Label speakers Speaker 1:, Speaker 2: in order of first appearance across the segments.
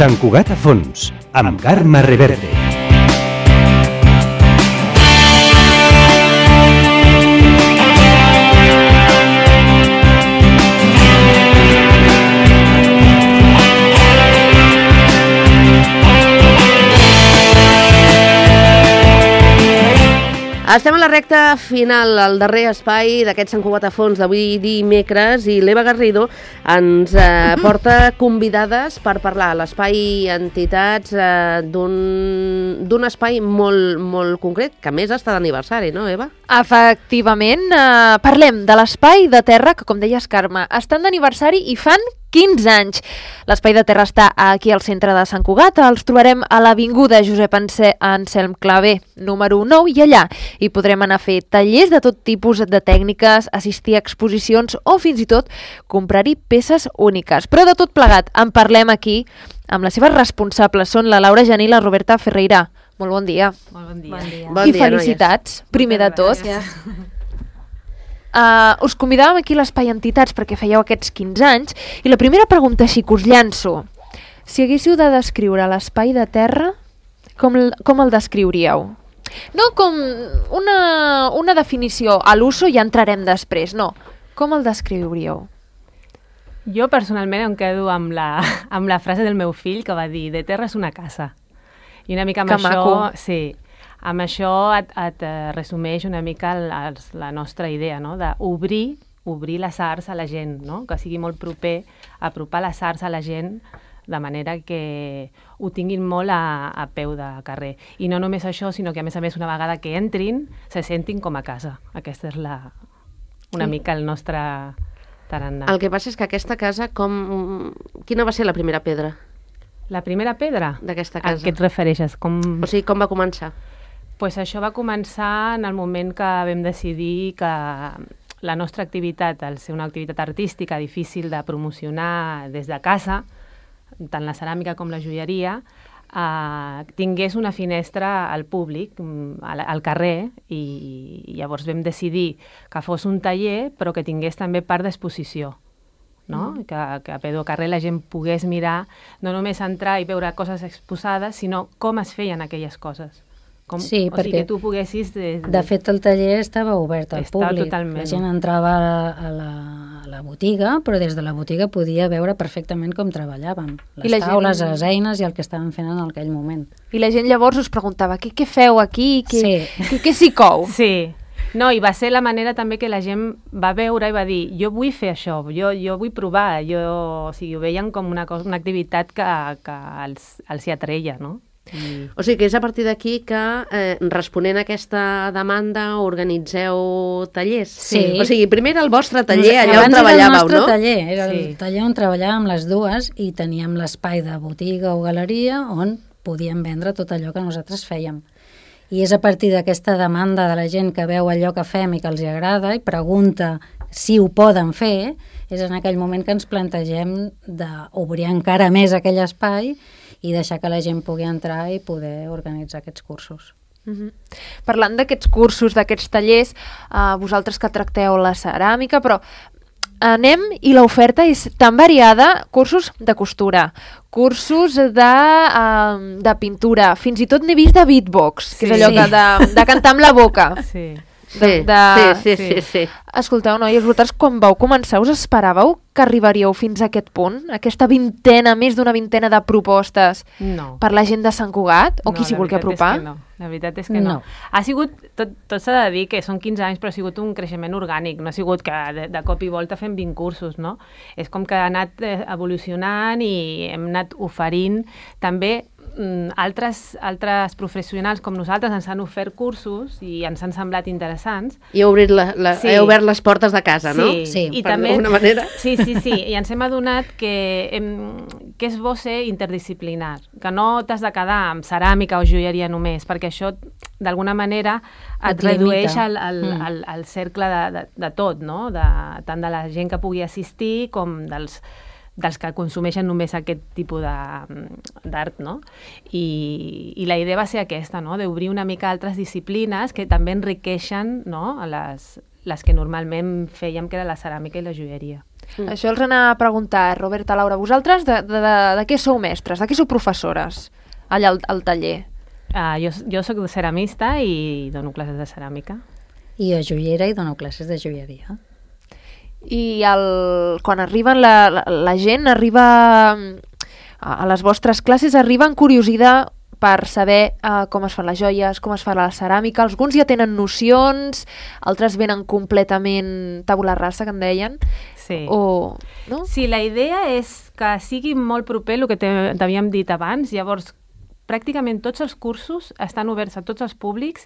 Speaker 1: Sant Cugat a fons, amb Carme Reverte.
Speaker 2: Estem a la recta final, al darrer espai d'aquest Sant Cugat a fons d'avui dimecres, i l'Eva Garrido ens porta convidades per parlar a l'espai entitats d'un espai molt concret, que a més està d'aniversari, no, Eva?
Speaker 3: Efectivament, parlem de l'Espai de Terra, que com deies, Carme, estan d'aniversari i fan 15 anys. L'Espai de Terra està aquí al centre de Sant Cugat. Els trobarem a l'Avinguda Josep Anselm Clavé, número 9, i allà hi podrem anar a fer tallers de tot tipus de tècniques, assistir a exposicions o fins i tot comprar-hi peces úniques. Però de tot plegat en parlem aquí amb les seves responsables. Són la Laura Janí i la Roberta Ferreira. Molt bon dia.
Speaker 4: Molt bon dia.
Speaker 2: Bon
Speaker 3: I
Speaker 2: dia,
Speaker 3: felicitats, primer de tot. Us convidàvem aquí a l'Espai Entitats perquè fèieu aquests 15 anys i la primera pregunta així que us llanço. Si haguéssiu de descriure l'Espai de Terra, com el descriuríeu? No com una definició, a l'uso ja entrarem després, no. Com el descriuríeu?
Speaker 4: Jo personalment em quedo amb la frase del meu fill que va dir "de terra és una casa". I una mica amb això, sí, amb això et resumeix una mica la nostra idea, no? D'obrir les arts a la gent, no? Que sigui molt proper, apropar les arts a la gent de manera que ho tinguin molt a peu de carrer. I no només això, sinó que a més, una vegada que entrin, se sentin com a casa. Aquesta és una mica el nostre tarannà.
Speaker 2: El que passa és que aquesta casa, quina va ser la primera pedra
Speaker 4: La primera pedra?
Speaker 2: d'aquesta casa?
Speaker 4: A què et refereixes?
Speaker 2: O sigui, com va començar?
Speaker 4: Pues això va començar en el moment que vam decidir que la nostra activitat, al ser una activitat artística difícil de promocionar des de casa, tant la ceràmica com la joieria, tingués una finestra al públic, al carrer, i llavors vam decidir que fos un taller, però que tingués també part d'exposició. No? Que a peu de carrer la gent pogués mirar, no només entrar i veure coses exposades, sinó com es feien aquelles coses.
Speaker 5: Sí,
Speaker 4: o sigui, que tu poguessis...
Speaker 5: De fet, el taller estava obert al públic.
Speaker 4: Totalment.
Speaker 5: La gent entrava a la botiga, però des de la botiga podia veure perfectament com treballàvem. Les taules, les eines i el que estàvem fent en aquell moment.
Speaker 3: I la gent llavors us preguntava, què feu aquí? Què s'hi cou?
Speaker 4: Sí. No, i va ser la manera també que la gent va veure i va dir, jo vull fer això, jo vull provar, o sigui, ho veien com una activitat que els hi atreia, no?
Speaker 2: O sigui que és a partir d'aquí que, responent a aquesta demanda, organitzeu tallers?
Speaker 5: Sí.
Speaker 2: O sigui, primer era el vostre taller, allà on treballàveu, no?
Speaker 5: Abans era el nostre taller, era el taller on treballàvem les dues i teníem l'espai de botiga o galeria on podíem vendre tot allò que nosaltres fèiem. I és a partir d'aquesta demanda de la gent que veu allò que fem i que els hi agrada i pregunta si ho poden fer, és en aquell moment que ens plantegem d'obrir encara més aquell espai i deixar que la gent pugui entrar i poder organitzar aquests cursos.
Speaker 3: Parlant d'aquests cursos, d'aquests tallers, vosaltres que tracteu la ceràmica, però anem i l'oferta és tan variada, cursos de costura, cursos de pintura, fins i tot n'he vist de beatbox, que és allò de cantar amb la boca.
Speaker 2: Sí.
Speaker 3: Sí. Escolteu, noies, vosaltres quan vau començar us esperàveu que arribaríeu fins a aquest punt? Aquesta més d'una vintena de propostes per la gent de Sant Cugat? O qui s'hi vulgui apropar?
Speaker 4: La veritat és que no. Ha sigut, tot s'ha de dir que són 15 anys, però ha sigut un creixement orgànic. No ha sigut que de cop i volta fem 20 cursos, no? És com que ha anat evolucionant i hem anat oferint també altres professionals com nosaltres ens han ofert cursos i ens han semblat interessants.
Speaker 2: I heu obert les portes de casa, no?
Speaker 4: Sí, i
Speaker 2: per
Speaker 4: també,
Speaker 2: d'alguna manera.
Speaker 4: Sí, i ens hem adonat que és bo ser interdisciplinar, que no t'has de quedar amb ceràmica o joieria només, perquè això d'alguna manera et redueix el cercle de tot, no? Tant de la gent que pugui assistir com dels que consumeixen només aquest tipus d'art, no? I la idea va ser aquesta, no? D'obrir una mica altres disciplines que també enriqueixen, no? Les que normalment fèiem, que era la ceràmica i la joieria.
Speaker 3: Això els anava a preguntar, Roberta, Laura, vosaltres de què sou mestres, de què sou professores allà al taller?
Speaker 4: Jo soc ceramista i dono classes de ceràmica.
Speaker 5: I jo joiera i dono classes de joieria.
Speaker 3: I quan arriben la gent, arriba a les vostres classes, arriba amb curiositat per saber com es fan les joies, com es fa la ceràmica. Alguns ja tenen nocions, altres venen completament tabula rasa, que en deien.
Speaker 4: Sí.
Speaker 3: No?
Speaker 4: Sí, la idea és que sigui molt proper el que t'havíem dit abans. Llavors, pràcticament tots els cursos estan oberts a tots els públics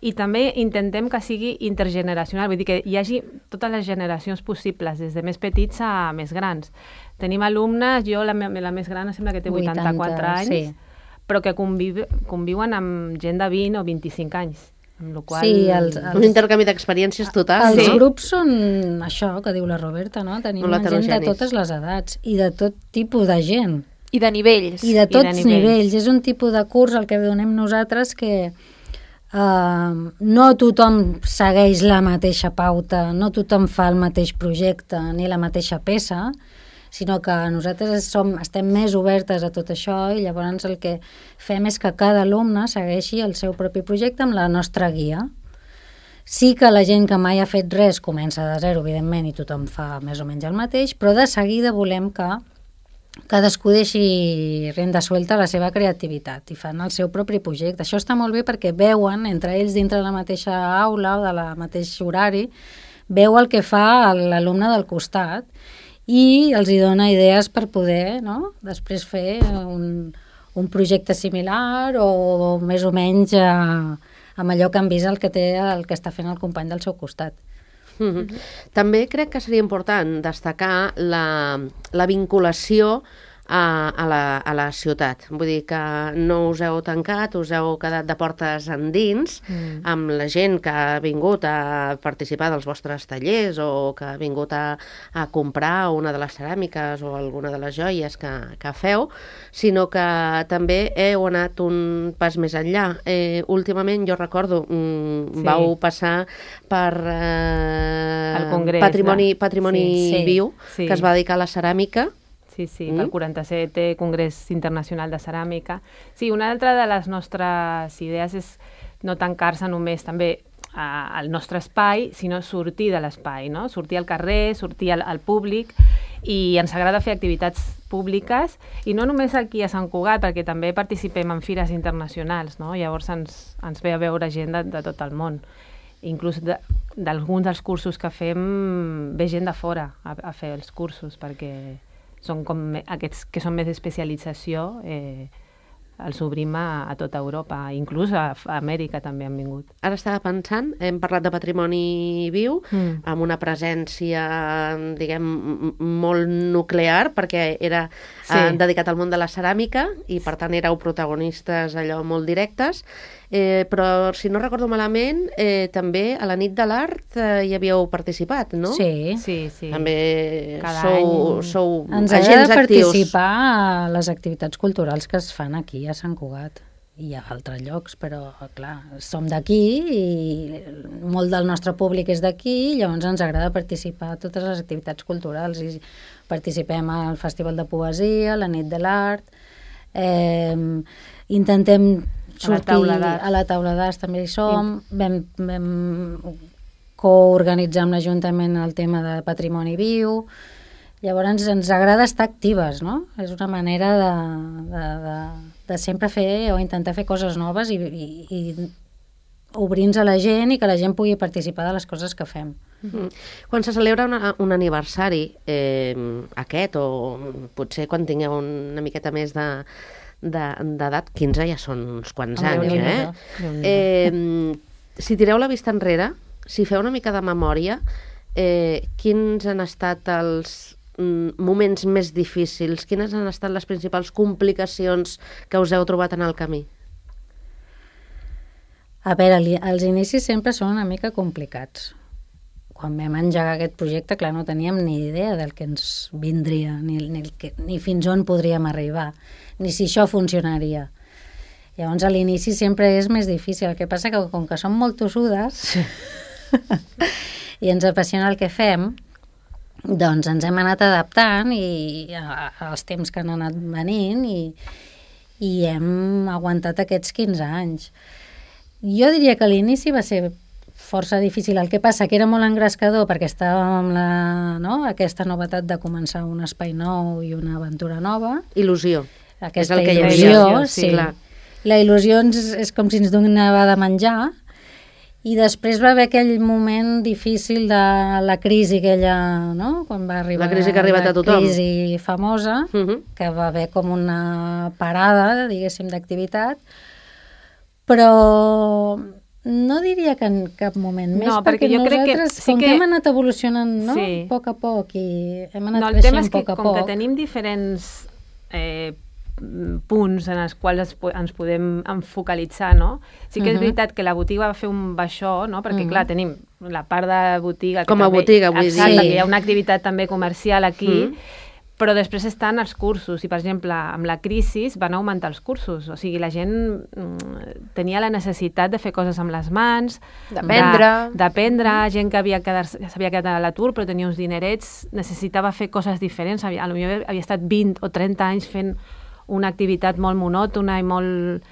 Speaker 4: i també intentem que sigui intergeneracional, vull dir que hi hagi totes les generacions possibles, des de més petits a més grans. Tenim alumnes, jo la més gran sembla que té 84 anys, sí, però que conviuen amb gent de 20 o 25 anys. Amb la qual...
Speaker 5: Sí,
Speaker 2: un intercanvi d'experiències total.
Speaker 5: Els grups són això que diu la Roberta, no? Tenim gent de totes les edats i de tot tipus de gent.
Speaker 3: I de nivells.
Speaker 5: I de tots nivells. És un tipus de curs el que donem nosaltres que no tothom segueix la mateixa pauta, no tothom fa el mateix projecte ni la mateixa peça, sinó que nosaltres estem més obertes a tot això i llavors el que fem és que cada alumne segueixi el seu propi projecte amb la nostra guia. Sí que la gent que mai ha fet res comença de zero, evidentment, i tothom fa més o menys el mateix, però de seguida volem que cadascú deixi renda suelta a la seva creativitat i fan el seu propi projecte. Això està molt bé perquè veuen, entre ells dintre de la mateixa aula o de la mateix horari, veu el que fa l'alumne del costat i els hi dona idees per poder, no?, després fer un projecte similar o més o menys amb allò que han vist el que està fent el company del seu costat.
Speaker 2: També crec que seria important destacar la vinculació a la ciutat. Vull dir que no us heu tancat, us heu quedat de portes endins amb la gent que ha vingut a participar dels vostres tallers o que ha vingut a comprar una de les ceràmiques o alguna de les joies que feu, sinó que també heu anat un pas més enllà. Últimament, jo recordo, vau passar per
Speaker 4: el Congrés,
Speaker 2: Patrimoni Viu, que es va dedicar a la ceràmica.
Speaker 4: Sí, pel 47è Congrés Internacional de Ceràmica. Sí, una altra de les nostres idees és no tancar-se només també al nostre espai, sinó sortir de l'espai, no? Sortir al carrer, sortir al públic, i ens agrada fer activitats públiques, i no només aquí a Sant Cugat, perquè també participem en fires internacionals, no? Llavors ens ve a veure gent de tot el món. Inclús d'alguns dels cursos que fem ve gent de fora a fer els cursos, perquè són com aquests que són més d'especialització, els obrim a tota Europa, inclús a Amèrica també han vingut.
Speaker 2: Ara estava pensant, hem parlat de patrimoni viu, amb una presència, diguem, molt nuclear, perquè era dedicat al món de la ceràmica i per tant éreu protagonistes allò molt directes, però si no recordo malament, també a la nit de l'art hi havíeu participat, no?
Speaker 5: Sí.
Speaker 2: També sou
Speaker 5: ens
Speaker 2: agents
Speaker 5: agrada
Speaker 2: actius.
Speaker 5: Participar a les activitats culturals que es fan aquí a Sant Cugat i a altres llocs, però clar, som d'aquí i molt del nostre públic és d'aquí, llavors ens agrada participar a totes les activitats culturals i participem al Festival de Poesia, a la nit de l'art, intentem sortir a la taula d'arts, també hi som, vam coorganitzar amb l'Ajuntament el tema de patrimoni viu. Llavors ens agrada estar actives, no? És una manera de sempre fer o intentar fer coses noves i obrir-nos a la gent i que la gent pugui participar de les coses que fem.
Speaker 2: Quan se celebra un aniversari, aquest, o potser quan tingueu una miqueta més d'edat, 15 ja són uns quants anys, si tireu la vista enrere, si feu una mica de memòria, quins han estat els moments més difícils, quines han estat les principals complicacions que us heu trobat en el camí?
Speaker 5: A veure, els inicis sempre són una mica complicats. Quan vam engegar aquest projecte, clar, no teníem ni idea del que ens vindria, ni fins on podríem arribar, ni si això funcionaria. Llavors, a l'inici sempre és més difícil. El que passa que, com que som molt tossudes i ens apassiona el que fem, Doncs ens hem anat adaptant als temps que han anat venint i hem aguantat aquests 15 anys. Jo diria que l'inici va ser força difícil. El que passa que era molt engrescador perquè estàvem amb aquesta novetat de començar un espai nou i una aventura nova.
Speaker 2: Il·lusió.
Speaker 5: Aquesta il·lusió, sí.
Speaker 2: Clar.
Speaker 5: La il·lusió és com si ens donava de menjar. I després va haver aquell moment difícil de la crisi aquella, no? Quan va arribar
Speaker 2: la crisi que ha arribat a tothom.
Speaker 5: La crisi famosa, que va haver com una parada, diguéssim, d'activitat, però no diria que en cap moment més, perquè jo nosaltres, com que hem anat evolucionant, no? Sí. A poc i hem anat creixent a poc.
Speaker 4: El tema és que com que tenim diferents punts en els quals ens podem enfocalitzar, no? Sí que és veritat que la botiga va fer un baixó, no? Perquè, clar, tenim la part de botiga...
Speaker 2: Com a botiga, vull dir.
Speaker 4: Exacte, que hi ha una activitat també comercial aquí, però després estan els cursos, i per exemple, amb la crisi van augmentar els cursos, o sigui, la gent tenia la necessitat de fer coses amb les mans, d'aprendre, gent que s'havia quedat a l'atur però tenia uns dinerets, necessitava fer coses diferents, potser havia estat 20 o 30 anys fent una activitat molt monòtona i molt...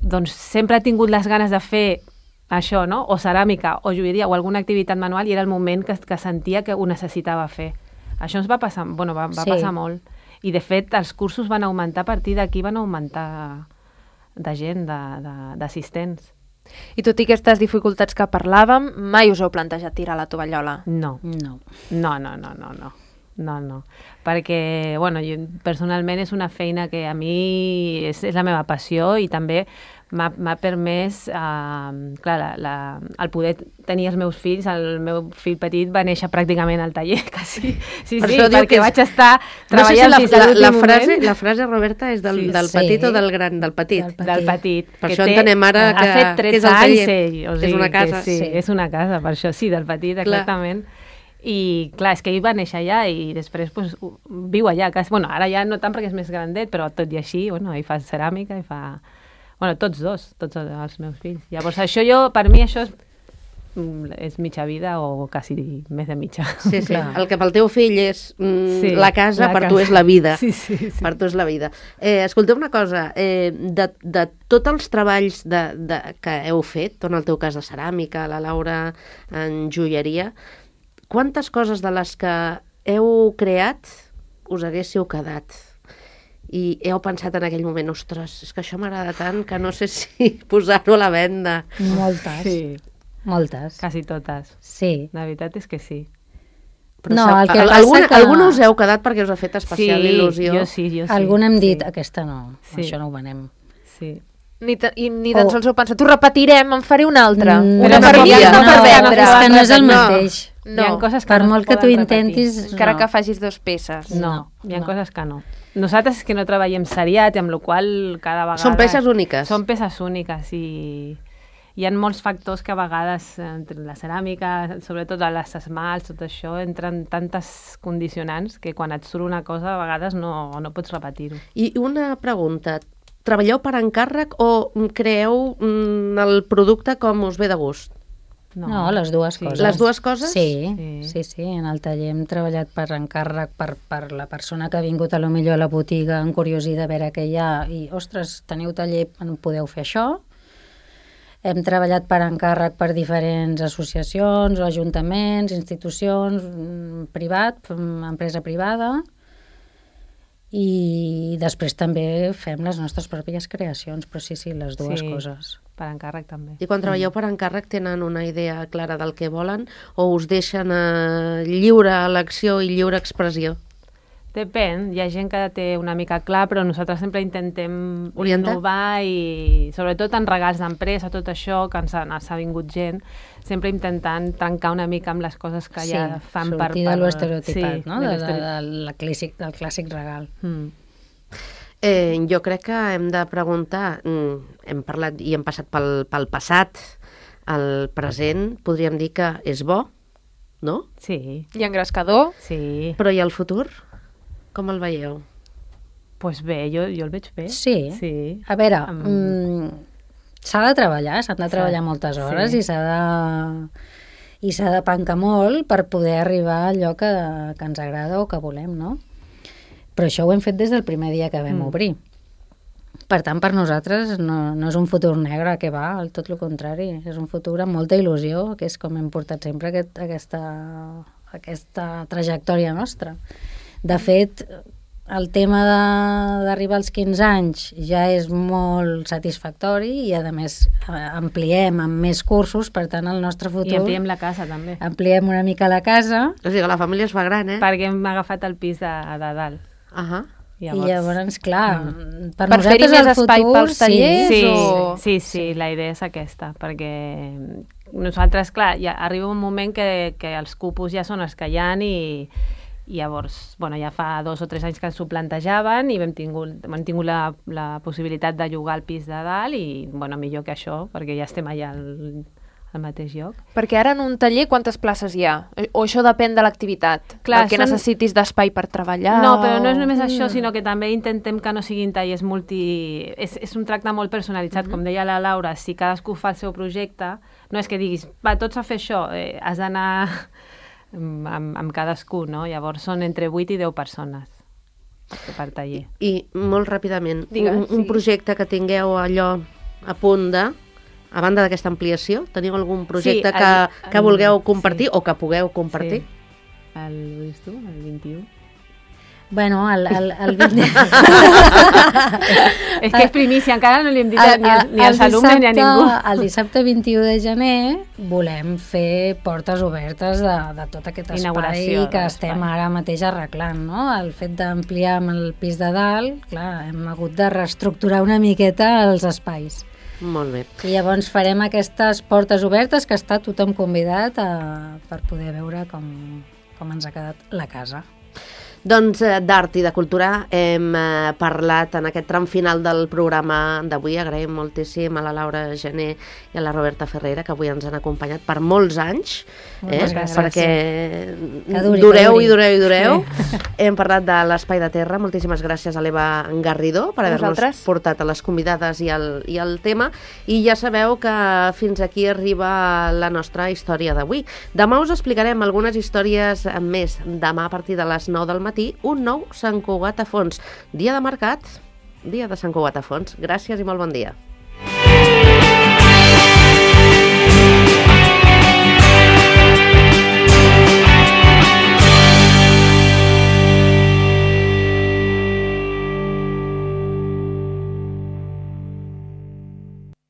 Speaker 4: Doncs sempre ha tingut les ganes de fer això, no? O ceràmica, o joieria, o alguna activitat manual, i era el moment que sentia que ho necessitava fer. Això ens va passar, va passar molt. I, de fet, els cursos van augmentar, a partir d'aquí van augmentar de gent, d'assistents.
Speaker 3: I tot i aquestes dificultats que parlàvem, mai us heu plantejat tirar la tovallola?
Speaker 4: No. No, perquè, jo, personalment és una feina que a mi és la meva passió i també m'ha permès, clar, el poder tenir els meus fills. El meu fill petit va néixer pràcticament al taller, quasi. Sí, perquè vaig estar treballant fins a l'últim moment.
Speaker 2: La frase, Roberta, és del petit o del gran? Del petit.
Speaker 4: Del petit.
Speaker 2: Per això entenem ara que
Speaker 4: ha fet 13 anys,
Speaker 2: és una casa.
Speaker 4: Sí, és una casa, per això sí, del petit, exactament. I clar, és que ell va néixer allà i després viu allà. Ara ja no tant perquè és més grandet, però tot i així, ell fa ceràmica i fa... tots els meus fills. Llavors, per mi això és mitja vida o quasi més de mitja.
Speaker 2: Sí. El que pel teu fill és la casa, per tu és la vida.
Speaker 4: Sí.
Speaker 2: Per tu és la vida. Escolteu una cosa, de tots els treballs que heu fet, en el teu cas de ceràmica, la Laura en joieria, quantes coses de les que heu creat us haguéssiu quedat? I heu pensat en aquell moment, ostres, és que això m'agrada tant que no sé si posar-ho a la venda.
Speaker 5: Moltes.
Speaker 4: Sí.
Speaker 5: Moltes.
Speaker 4: Quasi totes.
Speaker 5: Sí.
Speaker 4: La veritat és que sí.
Speaker 2: Però el que passa que... Alguna us heu quedat perquè us ha fet especial il·lusió?
Speaker 4: Jo sí.
Speaker 5: Alguna hem dit, aquesta no, això no ho venem.
Speaker 4: Sí.
Speaker 3: Ni tan sols heu pensat, ho repetirem, en faré una altra.
Speaker 5: Una per dia. És que no és el mateix.
Speaker 4: No. Hi ha coses que
Speaker 5: per molt que tu intentis...
Speaker 3: Encara que facis 2 peces.
Speaker 4: No, hi ha coses que no. Nosaltres és que no treballem seriat, amb la qual cada vegada...
Speaker 2: Són peces úniques.
Speaker 4: Són peces úniques i hi ha molts factors que a vegades, entre la ceràmica, sobretot les esmalts, tot això, entren tantes condicionants que quan et surt una cosa a vegades no pots repetir-ho.
Speaker 2: I una pregunta, treballeu per encàrrec o creeu el producte com us ve de gust?
Speaker 5: No, les dues coses.
Speaker 2: Les dues coses?
Speaker 5: Sí. En el taller hem treballat per encàrrec per la persona que ha vingut a lo millor a la botiga en curiosi de veure què hi ha i, ostres, teniu taller, podeu fer això. Hem treballat per encàrrec per diferents associacions o ajuntaments, institucions, privat, empresa privada. I després també fem les nostres pròpies creacions, però sí, les dues coses.
Speaker 4: Per encàrrec també.
Speaker 2: I quan treballeu per encàrrec tenen una idea clara del que volen o us deixen lliure elecció i lliure expressió?
Speaker 4: Depèn, hi ha gent que té una mica clar, però nosaltres sempre intentem innovar i sobretot en regals d'empresa, tot això, que ens ha vingut gent, sempre intentant trencar una mica amb les coses que ja fan per...
Speaker 5: Sortir de l'estereotipat, no? Del clàssic regal.
Speaker 2: Jo crec que hem de preguntar, hem parlat i hem passat pel passat, el present, podríem dir que és bo, no?
Speaker 4: Sí.
Speaker 3: I engrescador?
Speaker 4: Sí.
Speaker 2: Però i el futur? Com el veieu?
Speaker 4: Doncs bé, jo el veig bé.
Speaker 5: Sí. A veure, s'ha de treballar, s'han de treballar moltes hores i s'ha de... i s'ha de pencar molt per poder arribar a allò que ens agrada o que volem, no? Però això ho hem fet des del primer dia que vam obrir. Per tant, per nosaltres no és un futur negre, que va, tot el contrari, és un futur amb molta il·lusió, que és com hem portat sempre aquesta trajectòria nostra. De fet, el tema d'arribar als 15 anys ja és molt satisfactori i, a més, ampliem amb més cursos, per tant, el nostre futur...
Speaker 4: I ampliem la casa, també.
Speaker 5: Ampliem una mica la casa.
Speaker 2: O sigui, la família es fa gran,
Speaker 4: Perquè hem agafat el pis de dalt.
Speaker 5: I llavors, clar, per
Speaker 3: fer-hi més espai pels tallers?
Speaker 4: Sí, la idea és aquesta, perquè nosaltres, clar, ja arriba un moment que els cupos ja són els que hi ha i llavors, ja fa 2 o 3 anys que s'ho plantejaven i hem tingut la possibilitat de llogar el pis de dalt i, millor que això, perquè ja estem allà al mateix lloc.
Speaker 3: Perquè ara en un taller quantes places hi ha? O això depèn de l'activitat? Clar, que necessitis d'espai per treballar?
Speaker 4: No, però no és només això, sinó que també intentem que no siguin tallers És un tracte molt personalitzat, com deia la Laura, si cadascú fa el seu projecte, no és que diguis, va, tots a fer això, has d'anar amb cadascú, no? Llavors són entre 8 i 10 persones per taller.
Speaker 2: I molt ràpidament, un projecte que tingueu allò a punt a banda d'aquesta ampliació, teniu algun projecte que vulgueu compartir o que pugueu compartir?
Speaker 4: Sí. El 21?
Speaker 5: Bueno, el 20...
Speaker 4: És que és primícia, encara no li hem dit ni als alumnes ni a ningú.
Speaker 5: El dissabte 21 de gener volem fer portes obertes de tot aquest espai que estem ara mateix arreglant, no? El fet d'ampliar amb el pis de dalt, clar, hem hagut de reestructurar una miqueta els espais.
Speaker 2: Molt bé.
Speaker 5: I llavors farem aquestes portes obertes que està tothom convidat per poder veure com ens ha quedat la casa.
Speaker 2: Doncs d'art i de cultura hem parlat en aquest tram final del programa d'avui. Agraïm moltíssim a la Laura Gené i a la Roberta Ferreira, que avui ens han acompanyat per molts anys, perquè dureu. Sí. Hem parlat de l'Espai de Terra. Moltíssimes gràcies a l'Eva Garrido per haver-nos portat a les convidades i el tema. I ja sabeu que fins aquí arriba la nostra història d'avui. Demà us explicarem algunes històries més. Demà a partir de les 9 del matí, un nou Sant Cugat a Fons. Dia de mercat, dia de Sant Cugat a Fons. Gràcies i molt bon dia.